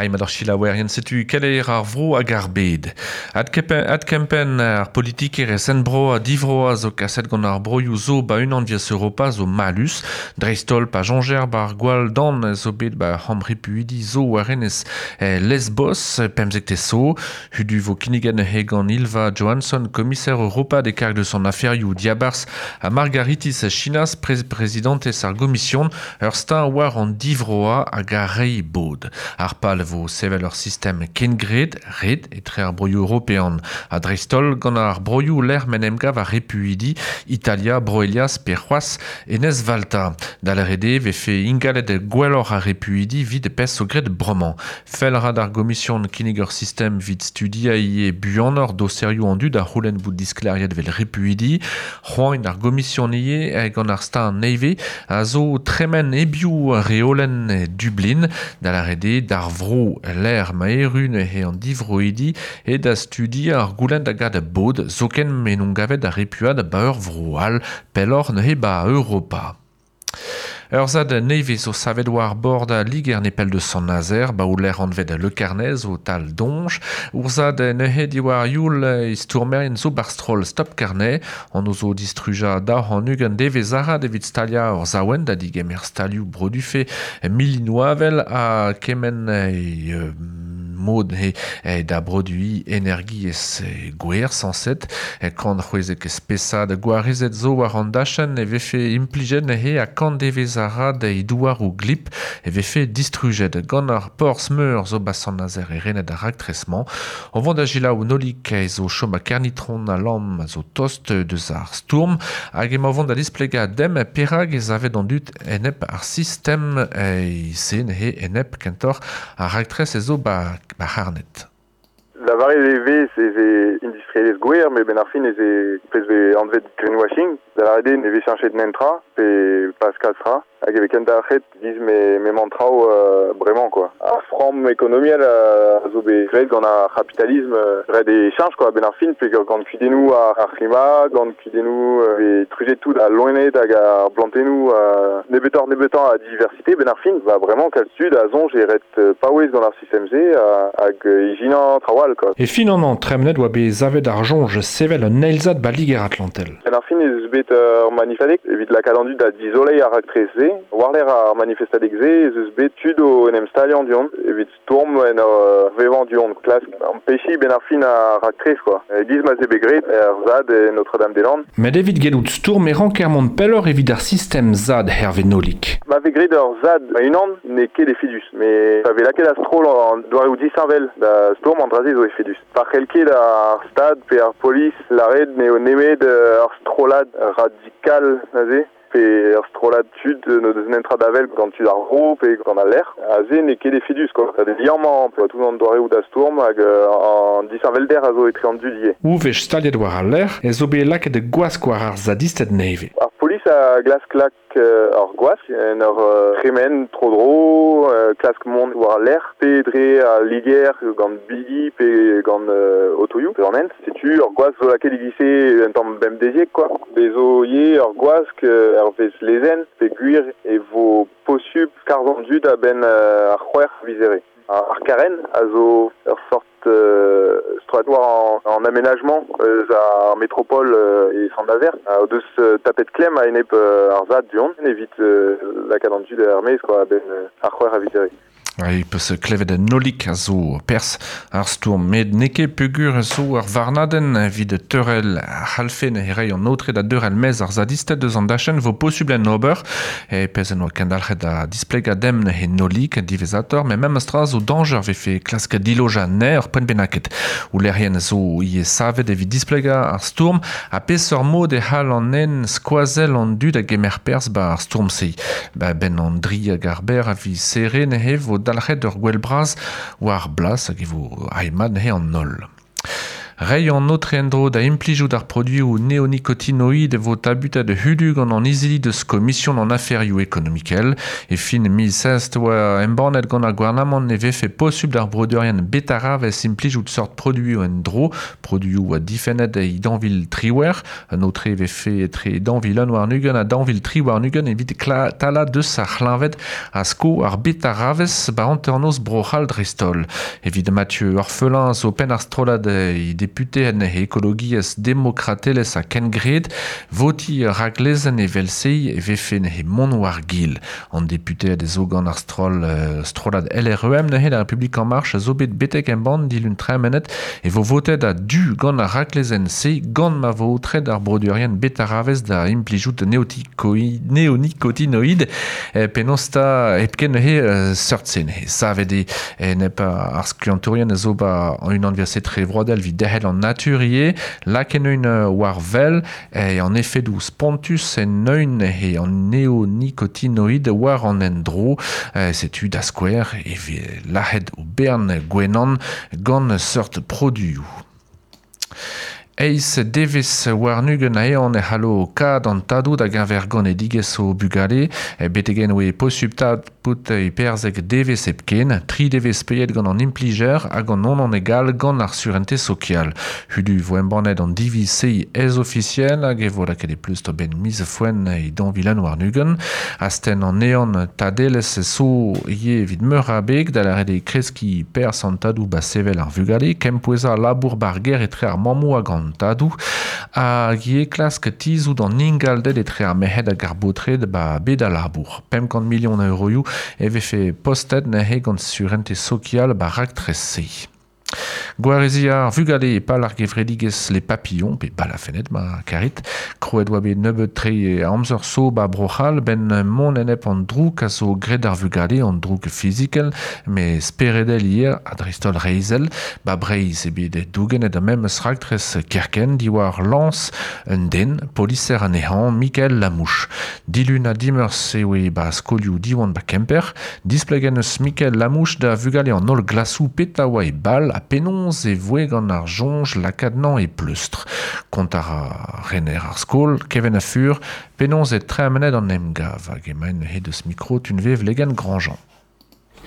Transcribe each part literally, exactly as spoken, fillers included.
Aimad ar chilaouerien setu keleier ar vro hag ar bed. Adkempen ar politikerez enbro a divro a zo kaset gant ar broioù zo ba unan vias Europa zo malus. Dreistol pa jonjer bar gwall dan zo bet ba hamripuidi zo war enez Lesbos pemzekte so. Hudu vo kinnigen he gant Ylva Johansson, komiser Europa de karg de son aferioù diabars a Margaritis Chinas, prezidentez ar gomision, ur stan war an divroa hag ar rei bod. Ar pal vo sevel ur sistem kengred, red, etre ar broioù european. A dreistol gant ar broioù lec'h men emgav ar repuidi, Italia, Broelias, pe c'hoaz, enez Valta. Dal rede vefe ingalet gwelloc'h ar repuidi vid pes o gred bremañ. Fel rad ar gomision kinnig ur sistem vid studia ie buanor doserioù an dud a c'houlenn bout diskleriet vel repuidi. C'hoain ar gomision ie gant ar stan neve a zo tremen ebioù reolen Dublin. Dal rede d'ar vro l'air ma erun he an divroidi e da studi ar goulenn da gad bod zoken menon gavet ar repuad ba ur vro al pellor neuze ba Europa. Ur zad nevez zo savet war bord a liger nepell de Sant-Nazer, ba ouler anvet Le Carnez o tal donj. Ur zad neuze diwar youl istourmerien zo barstrol Stop Carnet, an ozo distruja da an ugen devez arad evit stalia ur zaouen da digemer stalioù brodufe milinoavel a kemen e, euh, mod he, he da produi energiez gwer sanset kant c'hwezek spesad gwarezet zo war an dachen e vefe implijet he a kant devez arad e douar ou glip e vefe distrujet gant ar porzh meur zo ba Sant-Nazer e renet ar raktresman on vont da jilaou nolik e zo chom a kernitron a lamm zo tost deus ar stourm hag emañ vont da displega dem perag ez avet an dud enep ar sistem e sen he enep kentor ar raktres e zo ba ba harnet. La varez e vez ez e industrielez gwer, me ben ar fin ez e pez ve anvet greenwashing. Da la ne vez chenchet nentra, pe Pascal Stra, hag e kent ar c'het diz me, me mantrao euh, bremañ quoi. Ar framm ekonomiel a zo bet graet gant ar kapitalisme ret e chanch quoi, ben ar fin, pe gant kudennoù ar, ar klima, gant kudennoù euh, e trujet tout a loened hag ar blantennoù euh, nebeutoc'h nebeutañ a diversité, ben ar fin, ba bremañ kalz tud a zonj e ret paouez gant ar sistem-se hag ijinañ trawal quoi. E fin an an tremnet oa bet zavet ar jonj sevel un eilzad ba liger Atlantel. Ben ar fin ez bet ur manifestadeg evit lakaat an dud da dizolei ar raktres-se. War-lerc'h ar manifestadeg-se ez eus bet tud o en em staliañ du-hont evit stourm en ur vevañ du-hont klask ampechiñ ben ar fin ar raktres quoi. E giz ma ze bet graet er ZAD e Notre-Dame-des-Landes. Met evit gellout stourm e ranker mont pelloc'h evit ar sistem ZAD herve nolik. Ma vez graet ur ZAD ma-unan n'eo ket efedus, met pa vez lakaet a-stroll an doareoù disheñvel da stourm an dra-se zo efedus. Pa c'hell ket ar stad pe ar polis lâret n'eo nemet ur strollad radikal neuze pe ur strollad tud no deus nentra d'avel gant tud ar vro pe gant al lec'h. A-se n'eo ket efedus quoi. Da liammañ pe tout an doareoù da stourm hag an disheñvelder a zo etre an dud ivez. Ou vech staliet war al lec'h ez zo bet lakaet gwask war ar zadisted nevez. Ar polis a glask lak ur gwask en ur tremen tro-dro, klask mont war al lec'h, pe dre a liger gant bigi pe gant otoioù pe an hent. Setu ur gwask zo lakaet e-giz-se un tamm bemdeziek quoi. Bez zo ivez ur gwask hervez lezenn pe gwir e vo posupl skarzh an dud a-benn ar c'hwec'h vizere. Ar karen a zo ur sort euh, strollad war an, an aménagement eus ar métropole euh, e Sant-Nazer. O deus euh, tapet klemm a-enep euh, ar ZAD du-hont evit euh, lakaat an dud er-maez quoi, a-benn euh, ar c'hwec'h a viz here. E peus klevet an nolik a zo pers ar stourm met n'eo ket peogwir zo ar varnadenn evit teurel ar c'halfe ne reiñ an aotre da deurel mez ar zadisted deus an dachenn vo posubl en ober e pezh en oa kendalc'het da displegañ dem he nolik diwezhatoc'h met memes tra zo dañjer vefe klask dilojañ anezhe ur poent bennaket. Oulerien zo ivez savet evit displegañ ar stourm ha peseurt mod e c'hall an nen skoazell an dud a gemer perzh ba ar stourm-se. Ba benn an dri hag ar ber a viz serre neuze vo dalc'het ur gwell bras war blas hag e vo aimad neuze an holl. Rei an notre endro da implijout ar produioù neonicotinoid vo tabutet hudu gant an izili deus komision an aferioù ekonomikel. E fin mil seize oa embannet gant ar gouarnamant ne vefe posubl d'ar brodeurien betaravez implijout sort produioù endro, produioù a difennet e danvil triwer, an autre vefe etre danvil un war nugen a danvil tri war nugen evit tala deus ar c'hleñved a sko ar betaravez ba hanternoz Bro-C'hall dreist-holl. Evit Mathieu Orphelin zo penn ar strollad e député en ekologiezh demokratelezh a kengred, voti raglezenn evel-se e vefe he mont war gil. An député a zo gant ar stroll, strollad L R E M neuze la République en Marche a zo bet betek embann dilun tremenet e vo votet a du gant ar raglezenn-se gant ma vo aotret ar brodeurien betaravez da implijout neonicotinoid e penaos ta hepken neuze seurt-se neuze. Savet eo nep ar skiantourien a zo ba an unan via tre vroadel vid derc'hel an naturier, laken un war vel e an efedoù spontus en eun e an neonicotinoid war an endro, setu da skouer e ve lac'het o bern gwenan gant seurt produioù. Eiz devez war nugen aeon e c'hallo kad an tadou da geñver ganedigezh o bugale, betegen oe posubl tad pout e perzek devez hepken, tri devez peiet gant an implijer hag an non an egal gant ar surente sokial. Hudu vo embannet an diviz-se ez ofisiel hag e vo lakaet e pleust ben miz foen e danvilan war nugen. Astenn an eon tadelez so ye evit meur a beg da lâret e kreski perz an tadou ba sevel ar vugale, kempoueza labour bar ger etre ar mammoù hag an tadou hag e klask tizout an ingalded etre ar merc'hed hag ar baotred ba bet a labour. pemp kant milion a euroioù e vefe postet neuze gant surente sokial ba raktres-se. Gwarezi ar vugale e pal ar gevredigezh les papillons, pe balafennet ma karit, kroet oa bet nebeut tre amzer so ba Bro-C'hall ben mont enep an drouk a zo graet ar vugale an drouk fizikel, me speredel hier a dreist-holl reizhel, ba Breizh e bet dougenet a memes raktres kerken diwar lañs un den, poliser anezhañ Michael Lamouche. Dilun ha dimeurzh eo e ba skolioù Diwan ba Kemper, displegen eus Michael Lamouche da vugale an holl glasoù peta oa e bal a penaos e voe gant ar soñj lakaat nañ e pleustr. Kont ar rener ar skol, Kevin Afur, penaos e tremenet an emgav hag emaen he deus mikro tunvev legen Grandjean.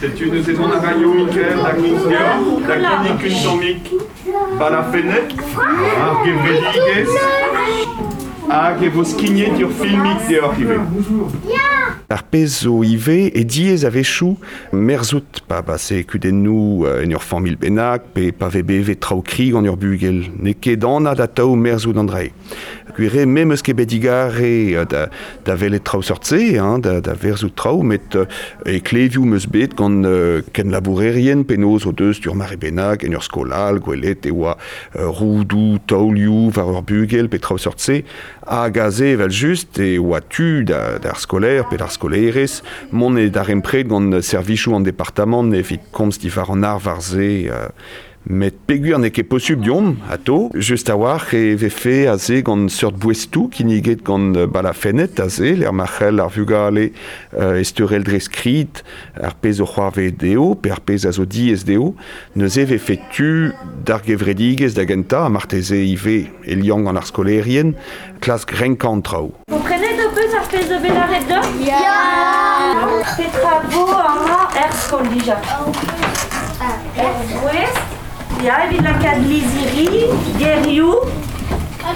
Setu neuze mont a raio Michael da Gouzior, da kinnig un tammig balafennet, ar gevredigezh, hag e vo skignet ur filmig deoc'h ivez. Ar pezh zo ivez e diaes a-wechoù merzout pa ba se kudennoù en ur familh bennak pe pa vez bevet traoù kri gant ur bugel. N'eo ket anat atav merzout an dra. Gwir eo me 'meus ket bet digare da, da welet traoù seurt-se, hein, da, da verzout traoù, met e klevioù 'meus bet gant uh, kenlabourerien penaos o deus ur mare bennak en ur skol all, gwelet e oa uh, roudoù, taolioù war ur bugel pe traoù seurt-se, hag aze evel just e oa tu da, d'ar skolaer pe d'ar skolaerez mont e darempred gant servijoù an departamant evit komz diwar an ar war-se euh, met peogwir n'eo ket posubl deomp atao, just a-walc'h e vefe aze gant seurt boestoù kinniget gant balafennet aze, lec'h ma c'hell ar vugale euh, esteurel dre skrid ar pezh o c'hoarvez dezho pe ar pezh a zo diaes dezho, neuze vefe tu d'ar gevredigezh da gentañ, ha marteze ivez e liamm gant ar skolaerien, klask renkañ an traoù. Komprenet ho peus ar pezh zo bet lâret deoc'h? Ya! Petra vo amañ er skol dija? Er voest, ya, evit lakaat lizhiri, gerioù, pa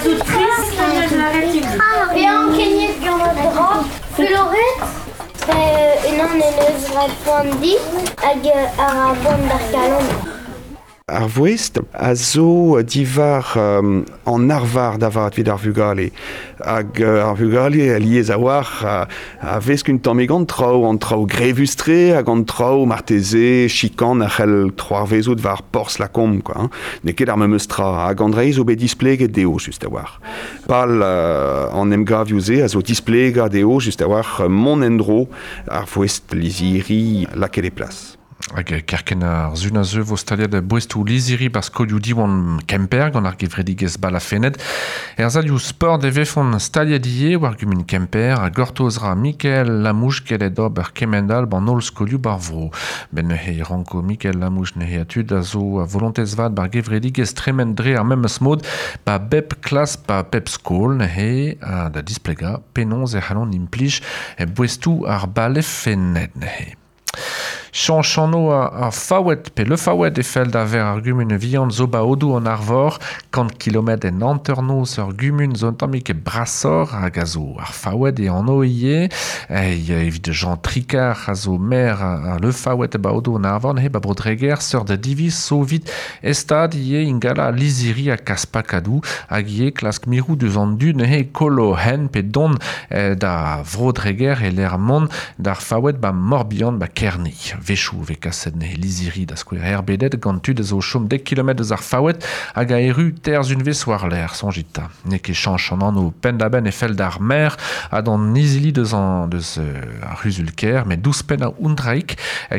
zo trist neus lâret ivez. Pe ankeniet gant an dra, fuloret, pe unan en eus graet poan di hag ar a boan d'ar kalon. Ar voest a zo diwar um, an arvar da vat evit ar vugale. Hag uh, ar vugale alies a-walc'h a, a vesk un tammig an traoù, an traoù grevus-tre hag an traoù marteze chikan a c'hell troarvezout war porzh Lacombe, quoi, hein. N'eo ket ar memes tra, hag an dra zo bet displeget dezho just a-walc'h. Pal uh, an emgavioù-se a zo displegañ dezho just a-walc'h mont en-dro ar voest lizhiri lakaet e plas. Hag kerken ar zun a zeu vo staliad boestou liziri bar skolioù diwan Kemper gant ar gevredigezh balafenet. Er zalioù sport e vefont staliad ie war gumun Kemper a gortoz ra Mikael Lamouche kelet ober kemendal ban holl skolioù bar vro. Ben neuze ranko Mikael Lamouche neuze a tud a zo a volontez vat bar gevredigezh tremen dre ar memes mod ba bep klas ba bep skol neuze a da displega penaos e c'hallont implij boestou ar balafenet neuze. Chanchano a, a faouet pe le faouet e fell da ver ar gumun vihan zo ba odou an arvor, kant kilometr en hanternoz ur gumun zo un tammig e brasor hag a zo ar faouet e an oie, e evit Jean Tricard a zo maire a, a le faouet e ba odou an arvor, ne ba brodreger seur da diviz so vit estad ie ingala liziri a kaspakadou hag ie klask mirou deus an du ne kolo hen pe don eh, da vrodreger e l'er mont d'ar faouet ba Morbihan ba Kerni. Vechou ve kaset ne liziri da skouer herbedet gant tud a zo chom dek kilometr eus ar faouet hag a eru terz unvez war l'air, sonjit ta. Ne ket chanch an anno penn da benn e fell d'ar mer ha d'an izili deus an deus euh, ar c'huzul-kêr, met douz penn a undraik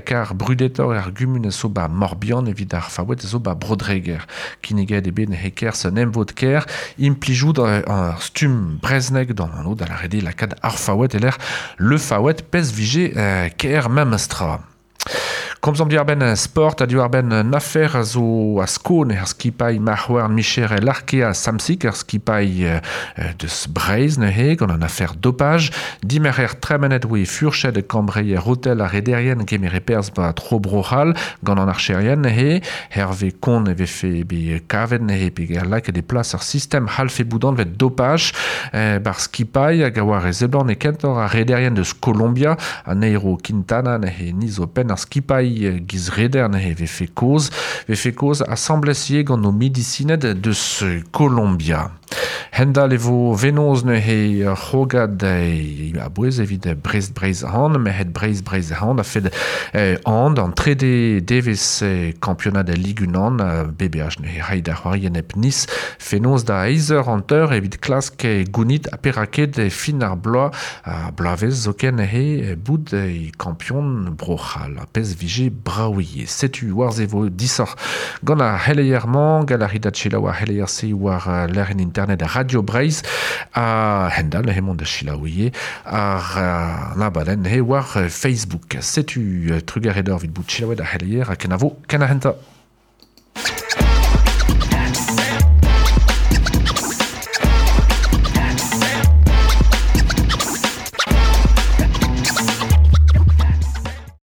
kar brudetor ar gumun zo ba Morbihan evit ar faouet zo ba Brodreger. Kinniget e bet ne heker se emvod kêr implijout ar stumm breznek d'an anno da la rede lakad ar faouet eler le faouet pez vije euh, kêr memestra. Komzomp diwar benn sport ha diwar benn afer a zo a skon er skipailh marc'houarn Michel Arkea Samsic ar skipailh deus Breizh neuze gant an afer dopage. Dimer er tremenet oe furched kambreier hotel ar rederien kemere perz ba tro bro-c'hall gant an archerien neuze. Hervé Kon e vefe be kavet neuze pe ger lakaet e plas ar sistem halfe boudan vet dopage eh, bar skipailh hag a oar e zeblant e kentor ar rederien deus Colombia a Nairo Quintana neuze ni zo penn ar skipailh giz reder neuze vefe koz, vefe koz asamblez ie gant o medisinet deus Colombia. Hendal e vo venoz neuze c'hrogad a bouez evit Brest Breizh han, merc'hed Breizh Breizh han a fed eh, an an trede devez eh, kampionad a Ligue unan B B H neuze rai da c'hoari en ep Nice fenoz da eiz eur hanter evit klask gounit a peraket fin ar bloaz a bloavezh zoken neuze bout e kampion Bro-C'hall a pez vije braouie. Setu war ze vo disoc'h gant ar c'heleier-mañ, gant ar rit selaou ar c'heleier-se war lec'hienn internet Radio Breizh a hendal hemont da selaouie ar abadenn he war Facebook. Setu trugarez deoc'h evit bout selaouet ar c'heleier ha kenavo ken ar hentañ.